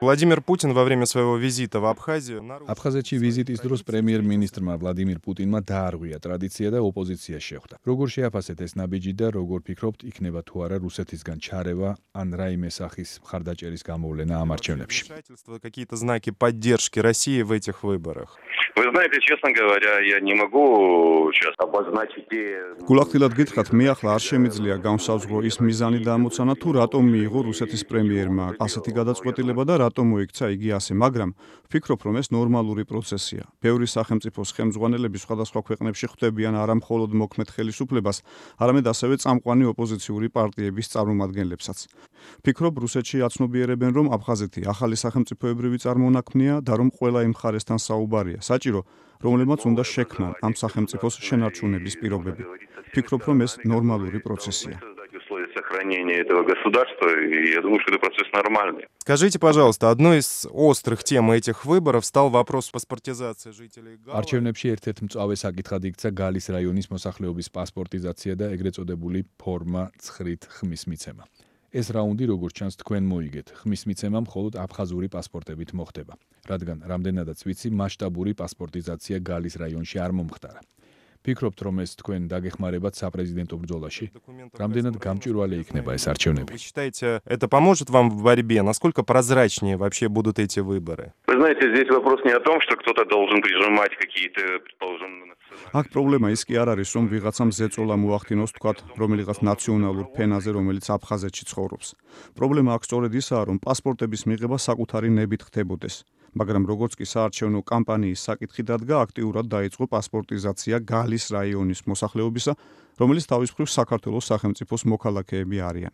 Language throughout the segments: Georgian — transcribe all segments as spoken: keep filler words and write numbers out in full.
Владимир Путин во время своего визита в Абхазию აფხაზეთში ვიზიტის დროს პრემიერ-მინისტრმა ვლადიმირ პუტინმა დაარღვია ტრადიცია და ოპოზიცია შეხვდა. როგორ შეაფასეთ ეს ნაბიჯი და როგორ ფიქრობთ, იქნება თუ არა რუსეთისგან ჩარევა ან რაიმე სახის მხარდაჭერის გამოვლენა ამ არჩევნებში? Какие-то знаки поддержки России в этих выборах? Вы знаете, честно говоря, я не могу сейчас обозначить те... გულახდილად გითხრათ, მე ახლა არ შემიძლია გამსავზღრო ის მიზანი და ამოცანა თუ რატომ მიიღო რუსეთის პრემიერმა ასეთი გადაწყვეტილება და რატომ მოიქცა იგი ასე, მაგრამ ვფიქრობ, რომ ეს ნორმალური პროცესია. ბევრი სახელმწიფოს ხელმძღვანელები სხვადასხვა ქვეყნებში ხვდებიან არა მხოლოდ მოქმედ ხელისუფლებას, არამედ ასევე წამყვანი ოპოზიციური პარტიების წარმომადგენლებსაც. ვფიქრობ, რუსეთში აცნობიერებენ, რომ აფხაზეთი ახალი სახელმწიფოებრივი წარმონაქმნია და რომ ყველა იმ მხარესთან საუბარია. საჭირო, რომლებმაც უნდა შექმნან ამ სახელმწიფოს შენარჩუნების პირობები. Вფიქრობ, რომ ეს ნორმალური პროცესია. Сохранение этого государства, и я думаю, что это процесс нормальный. Скажите, пожалуйста, одной из острых тем этих выборов стал вопрос паспортизации жителей Гала. არჩევნებში ერთ-ერთ მწვავე საკითხად იქცა გალის რაიონის მოსახლეობის პასპორტიზაცია და ეგრეთ წოდებული ფორმა ცხრით ხმის მიცემა. ეს რაუნდი, როგორც ჩანს, თქვენ მოიგეთ. ხმის მიცემა მხოლოდ აფხაზური პასპორტებით მოხდება, რადგან რამდენადაც ვიცი, მასშტაბური პასპორტიზაცია გალის რაიონში არ მომხდარა. Ფიქრობთ, რომ ეს თქვენ დაგეხმარებათ საპრეზიდენტო ბრძოლაში? Რამდენად გამჭვირვალე იქნება ეს არჩევნები? Вы считаете, это поможет вам в борьбе? Насколько прозрачнее вообще будут эти выборы? Вы знаете, здесь вопрос не о том, что кто-то должен прижимать какие-то, предположим, აქ პრობლემა ის კი არ არის, რომ ვიღაცამ ზეწოლა მოახდინოს, თქვათ, რომელიღაც ნაციონალურ ფენაზე, რომელიც აფხაზეთში ცხოვრობს. პრობლემა აქ სწორედ ისაა, რომ პასპორტების მიღება საკუთარი ნებით ხდებოდეს. მაგრამ როგორც კი საარჩევნო კამპანიის საკითხი დადგა, აქტიურად დაიწყო პასპორტიზაცია გალის რაიონის მოსახლეობისა, რომელიც თავის მხრივ საქართველოს სახელმწიფოს მოქალაქეები არიან.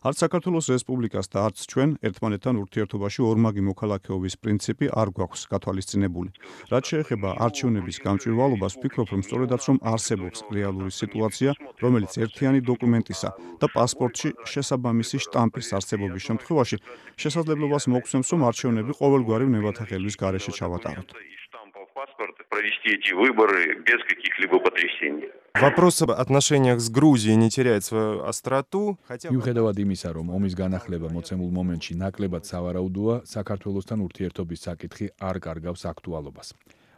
არც საქართველოს რესპუბლიკას და არც ჩვენ ერთმანეთთან ურთიერთობაში ორმაგი მოქალაქეობის პრინციპი არ გვაქვს გათვალისწინებული. რაც შეეხება არჩევნების გამჭვირვალობას, ვფიქრობ, რომ სწორედაც რომ არსებობს რეალური სიტუაცია, რომელიც ერთიანი დოკუმენტისა და პასპორტში შესაბამისი შტამპის არსებობის შემთხვევაში შესაძლებლობას მოგცემს, რომ არჩევნები ყოველგვარი ნებათაღელვის გარეშე ჩავატაროთ. провести эти выборы без каких-либо потрясений. Вопрос об отношениях с Грузией не теряет свою остроту, хотя მიუხედავად იმისა, რომ ომის განახლება მოცემულ მომენტში ნაკლებად სავარაუდოა, საქართველოსთან ურთიერთობის საკითხი არ კარგავს აქტუალობას.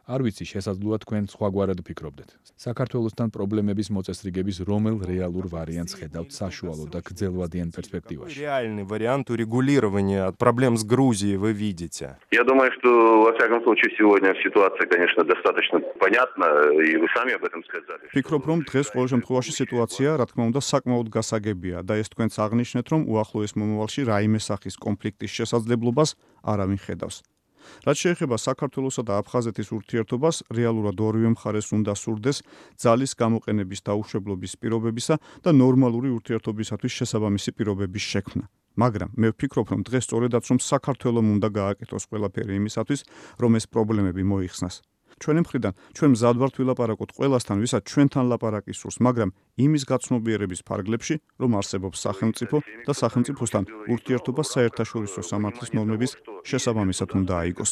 არ ვიცი, შესაძლოა თქვენ სხვაგვარად ფიქრობდეთ. საქართველოსთან პრობლემების მოწესრიგების რომელ რეალურ ვარიანტს ხედავთ საშუალო და გრძელვადიან перспективაში? Реальный вариант урегулирования проблем с Грузией вы видите? Я думаю, что во всяком случае сегодня ситуация, конечно, достаточно понятна, и вы сами об этом сказали. Ვფიქრობ, რომ დღეს ყოველ შემთხვევაში სიტუაცია, რა თქმა უნდა, საკმაოდ გასაგებია და ეს თქვენც აღნიშნეთ, რომ უახლოეს მომავალში რაიმე სახის კონფლიქტის შესაძლებლობას არავინ ხედავს. რაც შეეხება საქართველოსა და აფხაზეთის ურთიერთობას, რეალურად ორივე მხარეს უნდა სურდეს ძალის გამოყენების დაუშვებლობის პირობებისა და ნორმალური ურთიერთობისათვის შესაბამისი პირობების შექმნა. მაგრამ მე ვფიქრობ, რომ დღეს სწორედაც რომ საქართველოს უნდა გააკეთოს ყველაფერი იმისათვის, რომ ეს პრობლემები მოიხსნას. ჩვენი მხრიდან ჩვენ მზად ვართ ვილაპარაკოთ ყველასთან, ვისაც ჩვენთან ლაპარაკი სურს, მაგრამ იმის გაცნობიერების ფარგლებში, რომ არსებობს სახელმწიფო და სახელმწიფოსთან ურთიერთობა საერთაშორისო სამართლის ნორმების შესაბამისად უნდა აიგოს.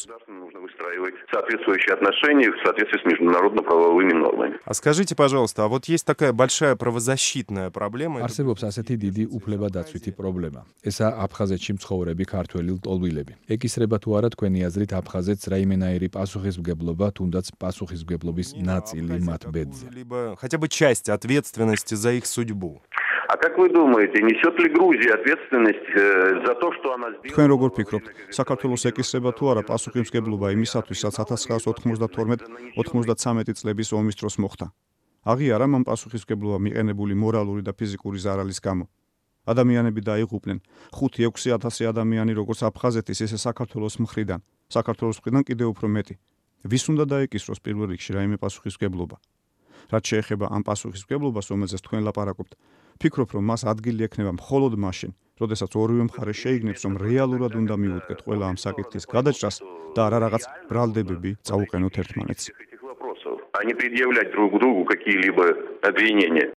Соответствующие отношения в соответствии с международно-правовыми нормами. А скажите, пожалуйста, а вот есть такая большая правозащитная проблема. არსებობს ასეთი დიდი უფლებადაცვითი პრობლემა. ესაა აფხაზეთში მცხოვრები ქართველი ლტოლვილები. ეკისრება თუ არა თქვენი აზრით აფხაზეთს რაიმენაირი პასუხისმგებლობა, თუნდაც პასუხისმგებლობის ნაწილი მათ ბედზე? Либо хотя бы часть ответственности за их судьбу. А как вы думаете, несет ли Грузия ответственность за то, что она сделала? თქვენ როგორ ფიქრობთ, საქართველოს ეკისრება თუ არა პასუხისმგებლობა იმისათვის, რაც ათას ცხრაას ოთხმოცდათორმეტ ოცდამეტრე წლების ომის დროს მოხდა? აღიარა მან პასუხისმგებლობა მიყენებული მორალური და ფიზიკური ზარალის გამო. ადამიანები დაიღუპნენ, ხუთი ექვსი ათასი ადამიანი როგორც აფხაზეთის, ისე საქართველოს მხრიდან, საქართველოს მხრიდან კიდევ უფრო მეტი. ვის უნდა დაეკისროს პირველ რიგში რაიმე პასუხისმგებლობა? რაც შეეხება ამ პასუხისმგებლობას, რომელზეც თქვენ ლაპარაკობთ, ვფიქრობ, რომ მას ადგილი ექნება მხოლოდ მაშინ, როდესაც ორივე მხარე შეიგნებს, რომ რეალურად უნდა მიუდგეთ ყველა ამ საკითხის გადაჭრას და არა რაღაც ბრალდებები წაუყენოთ ერთმანეთს. А не предъявлять друг другу какие-либо обвинения.